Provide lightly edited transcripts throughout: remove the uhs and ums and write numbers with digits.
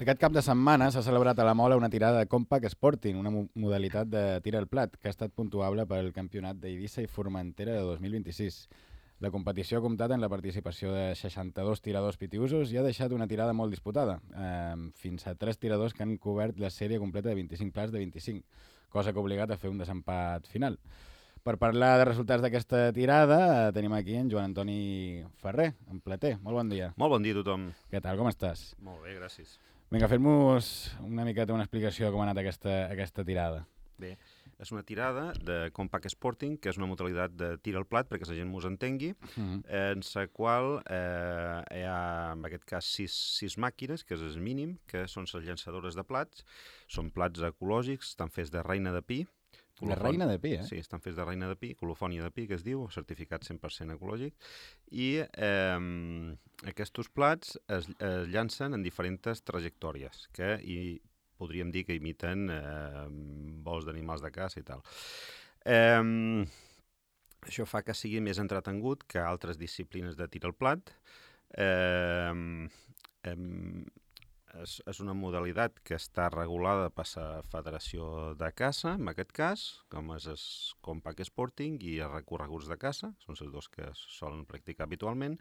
Aquest cap de setmana s'ha celebrat a la Mola una tirada de Compact Sporting, una modalitat de tir al plat, que ha estat puntuable pel campionat d'Eivissa i Formentera de 2026. La competició ha comptat amb la participació de 62 tiradors pitiusos i ha deixat una tirada molt disputada, fins a 3 tiradors que han cobert la sèrie completa de 25 plats de 25, cosa que ha obligat a fer un desempat final. Per parlar de resultats d'aquesta tirada, tenim aquí en Joan Antoni Ferrer, en Plater. Molt bon dia. Molt bon dia a tothom. Què tal, com estàs? Molt bé, gràcies. Vinga, fem-nos una miqueta una explicació de com ha anat aquesta tirada. Bé, és una tirada de Compact Sporting, que és una modalitat de tir al plat, perquè la gent mos entengui, en la qual hi ha, en aquest cas, sis màquines, que és el mínim, que són les llançadores de plats. Són plats ecològics, estan fets de reina de pi. De reina de pi, eh? Sí, estan fets de reina de pi, colofònia de pi, que es diu, certificat 100% ecològic. I aquests plats es llancen en diferents trajectòries, que podríem dir que imiten vols d'animals de caça i tal. Això fa que sigui més entretengut que altres disciplines de tir al plat. És una modalitat que està regulada per la Federació de Caça, en aquest cas, com és el Compact Sporting i els recorreguts de caça, són els dos que es solen practicar habitualment.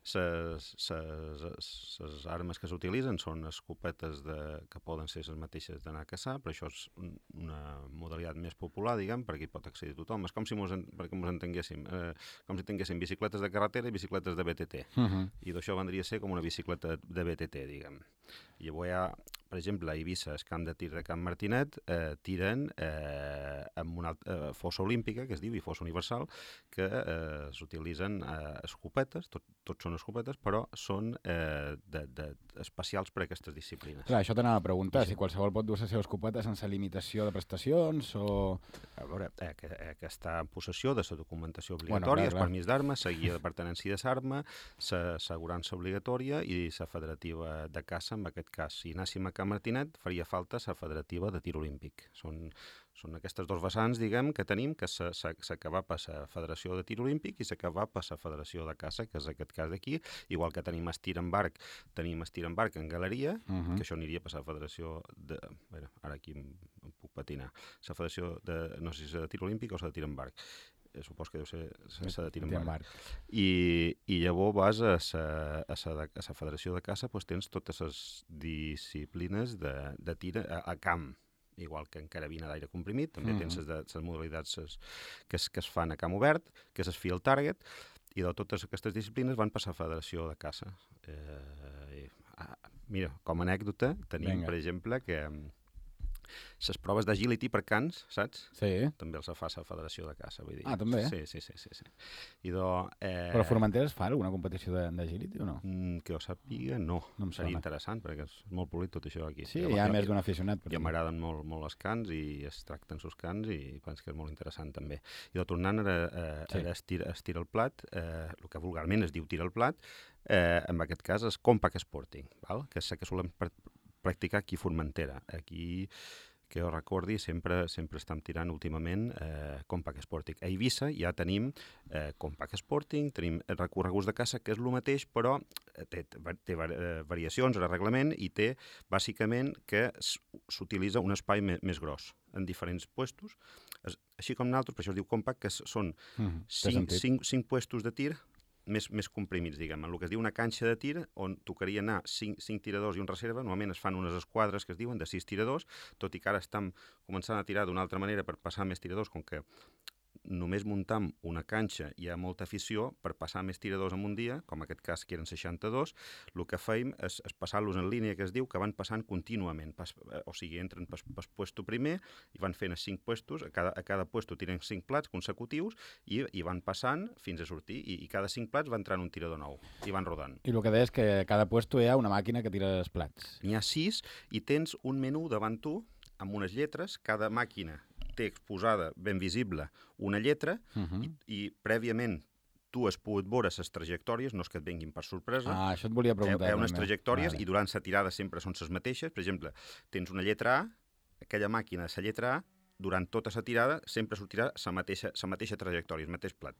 Les armes que s'utilitzen són escopetes que poden ser les mateixes d'anar a caçar, però això és una modalitat més popular, diguem, perquè hi pot accedir tothom. És com si perquè ens entenguéssim, com si tinguéssim bicicletes de carretera i bicicletes de BTT. I d'això vendria a ser com una bicicleta de BTT, diguem. I llavors hi ha, per exemple, a Eivissa, el camp de tir de Can Martinet, tiren amb una fossa olímpica, que es diu, i fossa universal, que s'utilitzen escopetes, tots són escopetes, però són especials per a aquestes disciplines. Clar, això t'anava a preguntar, si qualsevol pot dur la seva escopeta sense limitació de prestacions o... A veure, que està en possessió de la documentació obligatòria, el permís d'armes, la guia de pertinença de l'arma, l'assegurança obligatòria i la federativa de caça, en aquest cas. Si anéssim a Can Martinet, faria falta la federativa de tir olímpic. Són aquestes dos vessants, diguem, que tenim, que s'acaba per la Federació de Tir Olímpic i s'acaba per la Federació de Caça, que és aquest cas d'aquí, igual que tenim estir en barc en galeria, que això aniria per la Federació de... Bé, ara aquí em puc patinar. La Federació de... no sé si és de Tir Olímpic o és de Tir en barc. Supos que deu ser de tir en barc. I llavors vas a la Federació de Caça, doncs tens totes les disciplines de tir a camp, igual que en carabina d'aire comprimit, també tens les modalitats que es fan a camp obert, que és el field target, i de totes aquestes disciplines van passar a la Federació de Caça. Mira, com a anècdota, tenim, per exemple, que les proves d'agility per cans, saps? Sí. També els fa la Federació de Caça, vull dir. Ah, també? Sí. Però a Formentera es fa alguna competició d'agility o no? Que jo sàpiga, no. Seria interessant, perquè és molt polit tot això aquí. Sí, hi ha més d'un aficionat. I m'agraden molt els cans i es tracten els cans i penso que és molt interessant també. I tornant a estirar el plat, el que vulgarment es diu tir al plat, en aquest cas és Compact Sporting, que és el que solem practicar aquí a Formentera. Aquí, que jo recordi, sempre estem tirant últimament Compact Sporting. A Eivissa ja tenim Compact Sporting, tenim recorreguts de caça, que és el mateix, però té variacions en el reglament i té, bàsicament, que s'utilitza un espai més gros en diferents puestos. Així com nosaltres, per això es diu Compact, que són 5 puestos de tir més comprimits, diguem. En el que es diu una canxa de tir, on tocaria anar 5 tiradors i un reserva, normalment es fan unes esquadres que es diuen de 6 tiradors, tot i que ara estem començant a tirar d'una altra manera per passar més tiradors, com que només muntam una canxa hi ha molta afició per passar més tiradors en un dia, com en aquest cas que eren 62, el que feim és passar-los en línia, que es diu, que van passant contínuament, o sigui, entren pel puesto primer i van fent 5 puestos, a cada puesto tiren 5 plats consecutius i van passant fins a sortir, i cada 5 plats va entrant un tirador nou, i van rodant. I el que deies és que a cada puesto hi ha una màquina que tira els plats. N'hi ha 6 i tens un menú davant tu amb unes lletres, cada màquina té exposada ben visible una lletra i prèviament tu has pogut veure les trajectòries, no és que et venguin per sorpresa. Ah, això et volia preguntar. Hi ha unes trajectòries i durant la tirada sempre són les mateixes. Per exemple, tens una lletra A, aquella màquina de la lletra A, durant tota la tirada sempre sortirà la mateixa trajectòria, el mateix plat.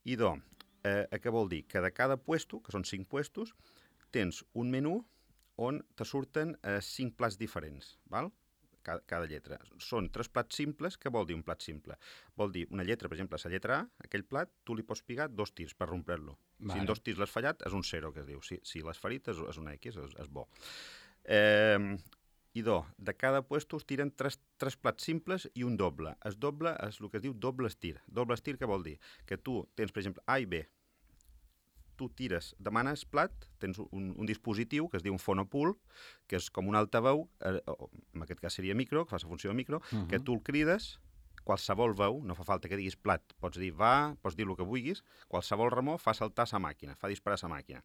I què vol dir? Que de cada puesto, que són 5 puestos, tens un menú on te surten 5 plats diferents, val? Cada lletra. Són 3 plats simples. Què vol dir un plat simple? Vol dir una lletra, per exemple, la lletra A, aquell plat, tu li pots pigar 2 tirs per rompre-lo. Vale. Si en 2 tirs l'has fallat, és un 0, que es diu. Si l'has ferit, és una X, és bo. De cada puesto us tiren 3 plats simples i un doble. El doble és el que es diu doble estir. Doble estir què vol dir? Que tu tens, per exemple, A i B. Tu tires, demanes plat, tens un dispositiu que es diu un fonopool, que és com un altaveu, en aquest cas seria micro, que fa la funció de micro, que tu el crides, qualsevol veu, no fa falta que diguis plat, pots dir va, pots dir el que vulguis, qualsevol remor fa saltar la màquina, fa disparar la màquina.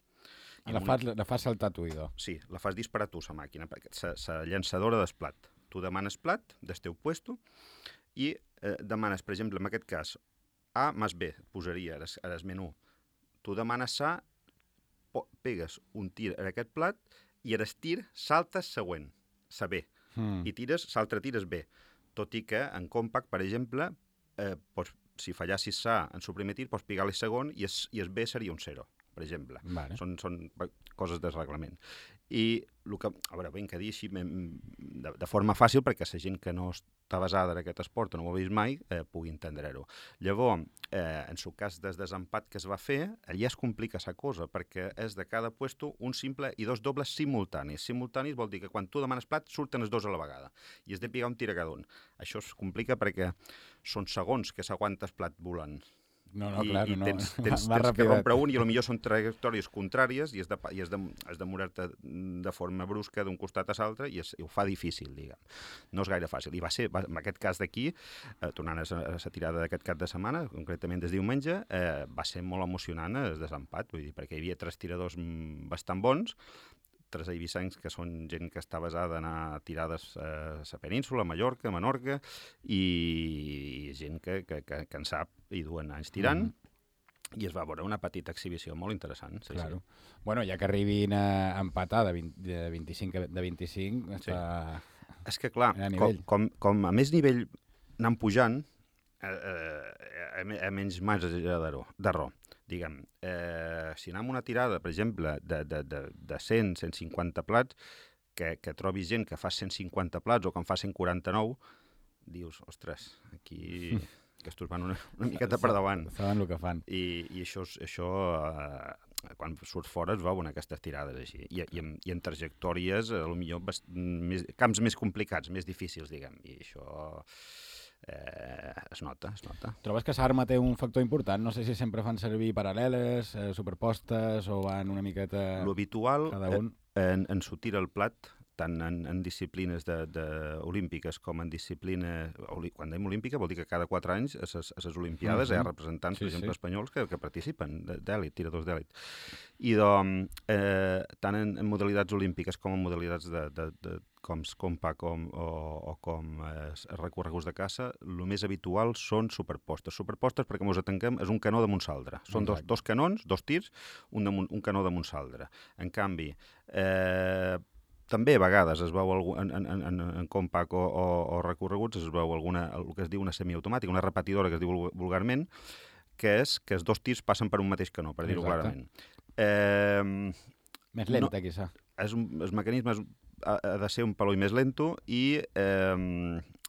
La fa saltar tu, idò. Sí, la fas disparar tu, la màquina, la llançadora del plat. Tu demanes plat del teu puesto i demanes, per exemple, en aquest cas, A més B, posaria el menú. Tu demanes A, pegues un tir en aquest plat i el tir saltes següent, la B, i l'altre tir és B. Tot i que en Compact, per exemple, si fallassis A en el primer tir, pots pigar-li segon i el B seria un 0, per exemple. Vale. Són coses del reglament. I el que, a veure, ben que dir així de forma fàcil, perquè la gent que no està basada en aquest esport o no ho ha vist mai, pugui entendre-ho. Llavors, en el cas del desempat que es va fer, allà es complica la cosa, perquè és de cada puesto un simple i 2 dobles simultanis. Simultanis vol dir que quan tu demanes plat surten els 2 a la vegada i has de pigar un tir a cada un. Això es complica perquè són segons que s'aguanta el plat volant. No, clar, no. Tens que rompre un i potser són trajectòries contràries i has de moure-te de forma brusca d'un costat a l'altre i ho fa difícil, diguem. No és gaire fàcil. I va ser, en aquest cas d'aquí, tornant a la tirada d'aquest cap de setmana, concretament des diumenge, va ser molt emocionant el desempat, vull dir, perquè hi havia 3 tiradors bastant bons, 3 eivissencs que són gent que està basada en anar tirades a la península, a Mallorca, a Menorca, i gent que en sap i duen anys tirant, i es va veure una petita exhibició molt interessant. Sí, claro. Sí. Bueno, ja que arribin a empatar de 25, està és que, clar, com a més nivell anant pujant, a menys marge d'error. Diguem, si anem una tirada, per exemple, de 100, 150 plats, que trobis gent que fa 150 plats o que en fa 149, dius, ostres, aquí que estos van una miqueta per davant. Saben el que fan. I això quan surt fora es veuen aquestes tirades així. I en trajectòries, potser camps més complicats, més difícils, diguem. I això es nota. Trobes que l'arma té un factor important? No sé si sempre fan servir paral·leles, superpostes, o van una miqueta... L'habitual en sortir el plat, tant en disciplines olímpiques com en disciplines... Quan dèiem olímpica vol dir que cada 4 anys a les Olimpiades hi ha representants, per exemple, espanyols que participen, d'èlit, tiradors d'èlit. I tant en modalitats olímpiques com en modalitats com Compact o com recorreguts de caça, el més habitual són superpostes. Superpostes, perquè ens atenquem, és un canó damunt l'altre. Són dos canons, 2 tirs, un canó damunt l'altre. En canvi, també a vegades es veu en Compact o recorreguts es veu el que es diu una semiautomàtica, una repetidora que es diu vulgarment, que és que els 2 tirs passen per un mateix canó, per dir-ho clarament. Més lenta, quizà. El mecanisme ha de ser un peló més lento i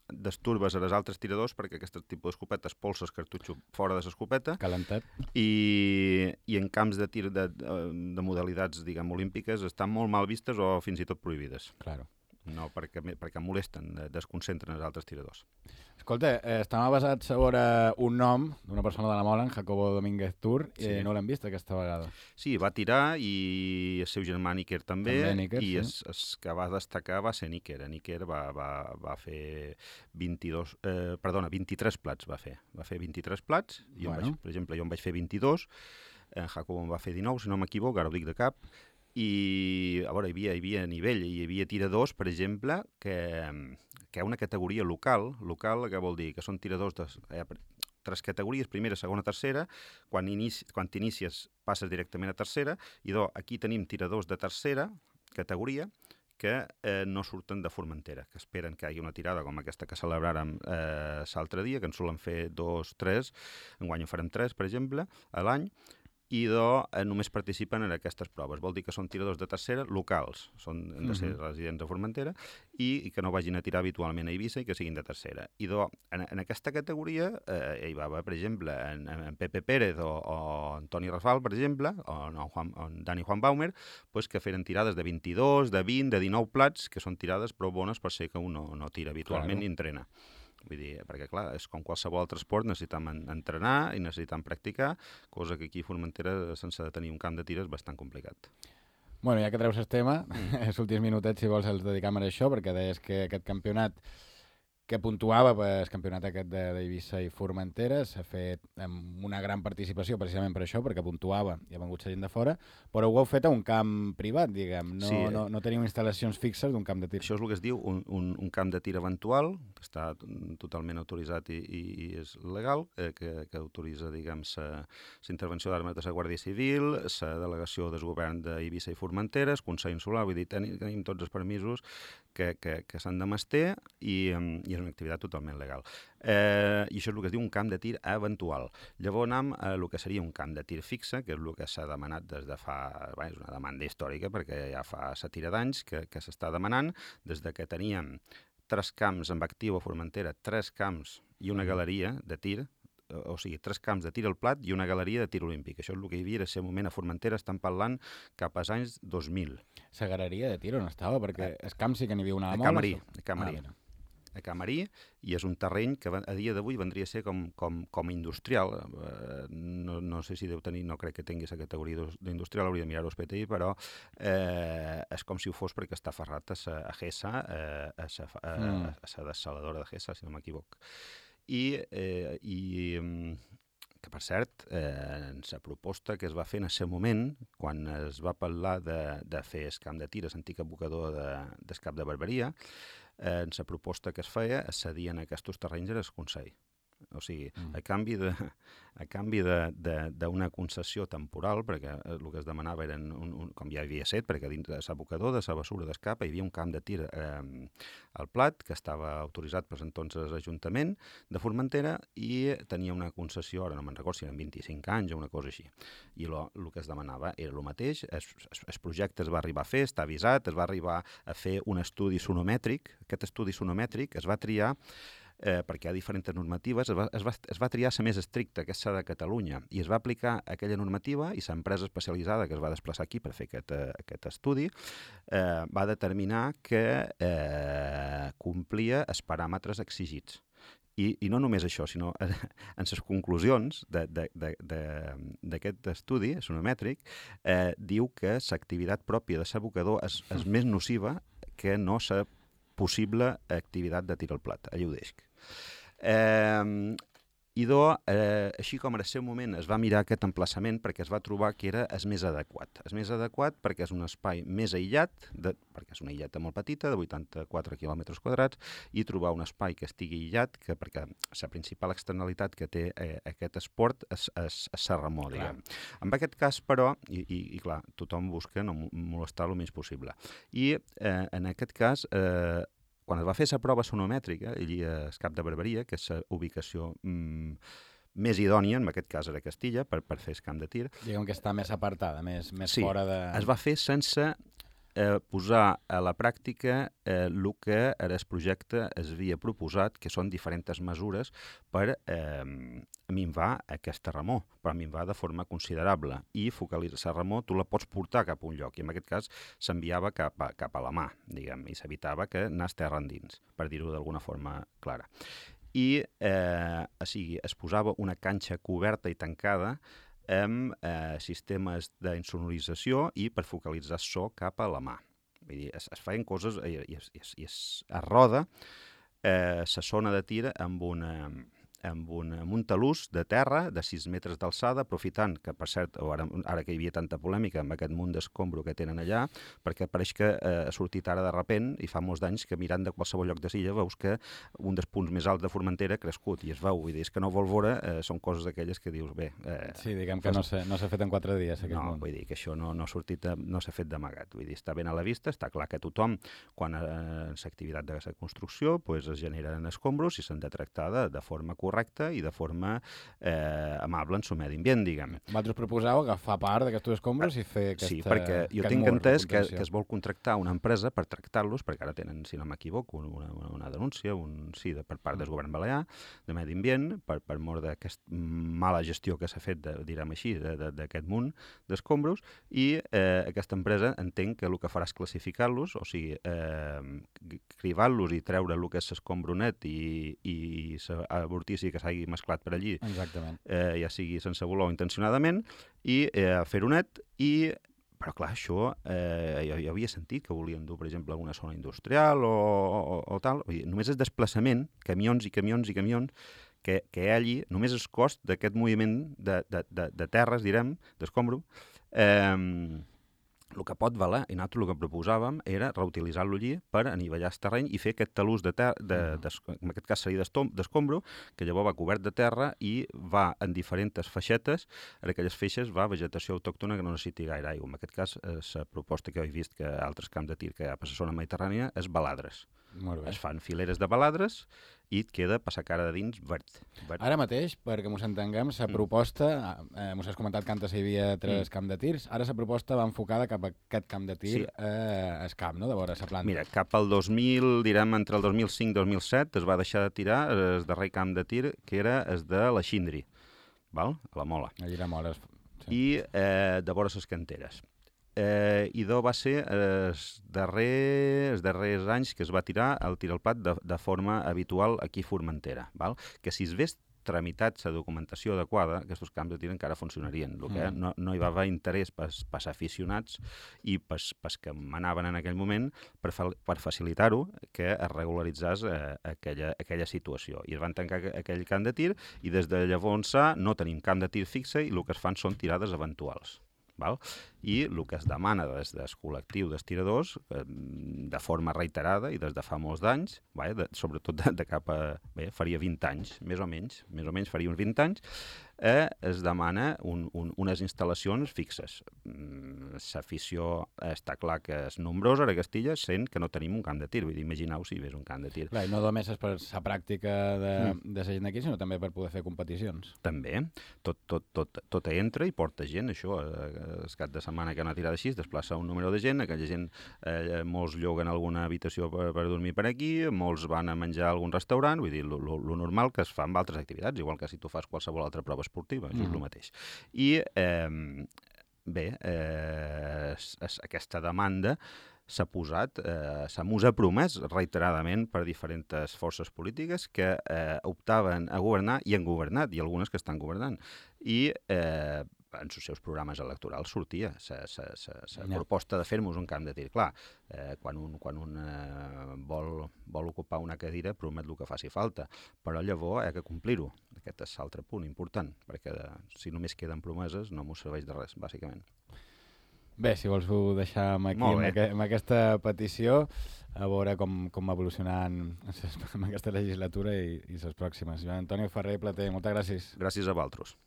desturbes a les altres tiradors perquè aquest tipus d'escopeta expulsa el cartutxo fora de l'escopeta. Calentat. I en camps de tir de modalitats, diguem, olímpiques estan molt mal vistes o fins i tot prohibides. Claro. No, perquè molesten, desconcentren els altres tiradors. Escolta, estava basat sobre un nom d'una persona de la Mola, en Jacobo Domínguez Tur, i no l'hem vist aquesta vegada. Sí, va tirar i el seu germà Níker també, i el que va destacar va ser Níker. Níker va fer 23 plats, va fer 23 plats, per exemple, jo en vaig fer 22, en Jacobo en va fer 19, si no m'equivoco, ara ho dic de cap, i a veure, hi havia nivell, hi havia tiradors, per exemple, que hi ha una categoria local, que vol dir que són tiradors de 3 categories, primera, segona, tercera, quan t'inicies passes directament a tercera, i aquí tenim tiradors de tercera categoria que no surten de Formentera, que esperen que hi hagi una tirada com aquesta que celebràrem l'altre dia, que en solen fer 2, 3, enguany en farem 3, per exemple, a l'any, i només participen en aquestes proves. Vol dir que són tiradors de tercera locals, han de ser residents a Formentera, i que no vagin a tirar habitualment a Eivissa i que siguin de tercera. I en aquesta categoria hi va haver, per exemple, en Pepe Pérez o Antoni Rafal, per exemple, o en Dani Juan Baumer, que feren tirades de 22, de 20, de 19 plats, que són tirades prou bones per ser que un no tira habitualment ni entrena. Vull dir, perquè clar, és com qualsevol altre esport, necessitem entrenar i necessitem practicar, cosa que aquí a Formentera, sense tenir un camp de tir, és bastant complicat. Bueno, ja que treus el tema, els últims minutets, si vols, els dedicam a això, perquè deies que aquest campionat que puntuava pel campionat aquest d'Eivissa i Formentera s'ha fet amb una gran participació precisament per això, perquè puntuava i ha vengut gent de fora, però ho heu fet a un camp privat, diguem. No teniu instal·lacions fixes d'un camp de tir. Això és el que es diu un camp de tir eventual, que està totalment autoritzat i és legal, que autoritza, diguem, la intervenció d'armes de la Guàrdia Civil, la delegació del govern d'Eivissa i Formentera, el Consell Insular, vull dir, tenim tots els permisos que s'han de mester i és una activitat totalment legal. I això és el que es diu un camp de tir eventual. Llavors anem a el que seria un camp de tir fixe, que és el que s'ha demanat des de fa... és una demanda històrica, perquè ja fa la tira d'anys que s'està demanant, des de que teníem 3 camps amb actiu a Formentera, 3 camps i una galeria de tir, o sigui, 3 camps de tir al plat i una galeria de tir olímpic. Això és el que hi havia en aquest moment a Formentera, estan parlant cap als anys 2000. La galeria de tir on estava? Perquè el camp sí que n'hi havia una molt. A Camarí, i és un terreny que a dia d'avui vendria a ser com industrial. No sé si deu tenir, no crec que tingui la categoria d'industrial, hauria de mirar-ho al PTI, però és com si ho fos perquè està aferrat a GESA, a la dessaladora de GESA, si no m'equivoc. I que, per cert, en la proposta que es va fer en aquest moment, quan es va parlar de fer el camp de tir, l'antic abocador del Cap de Barberia, en la proposta que es feia es cedien aquests terrenys al Consell. O sigui, a canvi d'una concessió temporal, perquè el que es demanava eren, com ja havia set, perquè dins de l'abocador, de la bessura d'escapa, hi havia un camp de tir al plat que estava autoritzat per entonces l'Ajuntament de Formentera i tenia una concessió, ara no me'n recordo si eren 25 anys o una cosa així. I el que es demanava era el mateix, el projecte es va arribar a fer, està avisat, es va arribar a fer un estudi sonomètric. Aquest estudi sonomètric es va triar perquè hi ha diferents normatives, es va triar la més estricta, que és la de Catalunya, i es va aplicar aquella normativa i l'empresa especialitzada que es va desplaçar aquí per fer aquest estudi va determinar que complia els paràmetres exigits. I no només això, sinó en les conclusions d'aquest estudi sonomètric diu que l'activitat pròpia de l'abocador és més nociva que no la possible activitat de tir al plat. Allà ho deixo. Així com en el seu moment es va mirar aquest emplaçament perquè es va trobar que era el més adequat. El més adequat perquè és un espai més aïllat, perquè és una illeta molt petita, de 84 quilòmetres quadrats, i trobar un espai que estigui aïllat, perquè la principal externalitat que té aquest esport és la remor, diguem. En aquest cas, però, i clar, tothom busca no molestar el menys possible. I en aquest cas, quan es va fer la prova sonomètrica, allà al Cap de Barberia, que és la ubicació més idònia, en aquest cas era Castilla, per fer el camp de tir. Diguem que està més apartada, més fora de... Sí, es va fer sense posar a la pràctica el que era el projecte es havia proposat, que són diferents mesures per minvar aquesta remor, per minvar de forma considerable. I focalitzar la remor tu la pots portar cap a un lloc, i en aquest cas s'enviava cap a la mà, diguem, i s'evitava que anés terra endins, per dir-ho d'alguna forma clara. I es posava una canxa coberta i tancada amb sistemes d'insonorització i per focalitzar so cap a la mà. Vull dir, es feien coses i es roda la zona de tir amb un talús de terra de 6 metres d'alçada, aprofitant que, per cert, ara que hi havia tanta polèmica amb aquest munt d'escombro que tenen allà, perquè pareix que ha sortit ara de repent, i fa molts d'anys que mirant de qualsevol lloc de Silla veus que un dels punts més alts de Formentera ha crescut, i es veu, vull dir, és que no vol veure, són coses d'aquelles que dius, bé... Sí, diguem que no s'ha fet en 4 dies, aquest munt. No, vull dir que això no ha sortit, no s'ha fet d'amagat, vull dir, està ben a la vista, està clar que tothom, quan en l'activitat de la construcció, es generen escombros i s'han de tractar de forma correcta, correcta i de forma amable en el medi ambient, diguem. Vosaltres proposeu agafar part d'aquests escombros i fer Sí, perquè jo tinc entès que es vol contractar una empresa per tractar-los, perquè ara tenen, si no m'equivoco, una denúncia per part del govern balear de medi ambient per mort d'aquesta mala gestió que s'ha fet, direm així, d'aquest munt d'escombros, i aquesta empresa entenc que el que farà és classificar-los, o sigui, cribar-los i treure el que és l'escombro net i l'avortici que s'hagi mesclat per allí, ja sigui sense voler o intencionadament, i fer-ho net. Però clar, això jo havia sentit que volien dur, per exemple, a una zona industrial o tal. Només és desplaçament, camions i camions i camions, que allí només el cost d'aquest moviment de terres, direm, d'escombro, el que pot valer, i nosaltres el que proposàvem era reutilitzar-lo allí per anivellar el terreny i fer aquest talús en aquest cas seria d'escombro, que llavors va cobert de terra i va en diferents feixetes, en aquelles feixes va vegetació autòctona que no necessiti gaire aigua. En aquest cas, la proposta que he vist que altres camps de tir que hi ha per la zona mediterrània és baladres. Es fan fileres de baladres i et queda passar cara de dins verd. Ara mateix, perquè mos entenguem, la proposta, mos has comentat que antes hi havia 3 camps de tirs, ara la proposta va enfocada cap a aquest camp de tir al camp, no?, de vora la planta. Mira, cap al 2000, direm, entre el 2005 i 2007, es va deixar de tirar el darrer camp de tir, que era el de la Xindri, val? A la Mola. Allí la Mola. I de vora les canteres. I va ser els darrers anys que es va tirar el tir al plat de forma habitual aquí a Formentera, val? Que si es ves tramitat la documentació adequada, aquests camps de tir encara funcionarien. El que no hi va haver interès pels aficionats i pels que manaven en aquell moment per facilitar-ho, que es regularitzés aquella situació. I es van tancar aquell camp de tir i des de llavors no tenim camp de tir fixe i el que es fan són tirades eventuals. Val? I el que es demana des del col·lectiu d'estiradors, de forma reiterada i des de fa molts d'anys, sobretot de cap a... faria 20 anys, més o menys faria uns 20 anys, es demana unes instal·lacions fixes. L'afició està clar que és nombrosa a Castilla, sent que no tenim un camp de tir. Vull dir, imagineu si hi hagués un camp de tir. Clar, i no només és per la pràctica de la gent d'aquí, sinó també per poder fer competicions. També. Tot entra i porta gent, això. El cap de setmana que hi ha una tirada així, es desplaça un número de gent, aquella gent, molts lloguen alguna habitació per dormir per aquí, molts van a menjar a algun restaurant, vull dir, lo normal que es fa amb altres activitats, igual que si tu fas qualsevol altra prova esportiva, és el mateix. I, aquesta demanda s'ha posat, s'ha promès reiteradament per diferents forces polítiques que optaven a governar i han governat, i algunes que estan governant. I en els seus programes electorals sortia la proposta de fer-nos un camp de tir. Clar, quan un vol ocupar una cadira promet el que faci falta, però llavors ha de complir-ho. Aquest és l'altre punt important, perquè si només queden promeses no m'ho serveix de res, bàsicament. Bé, si vols ho deixar aquí amb aquesta petició, a veure com va evolucionant amb aquesta legislatura i les pròximes. Joan Antonio Ferrer i Plater, moltes gràcies. Gràcies a vosaltres.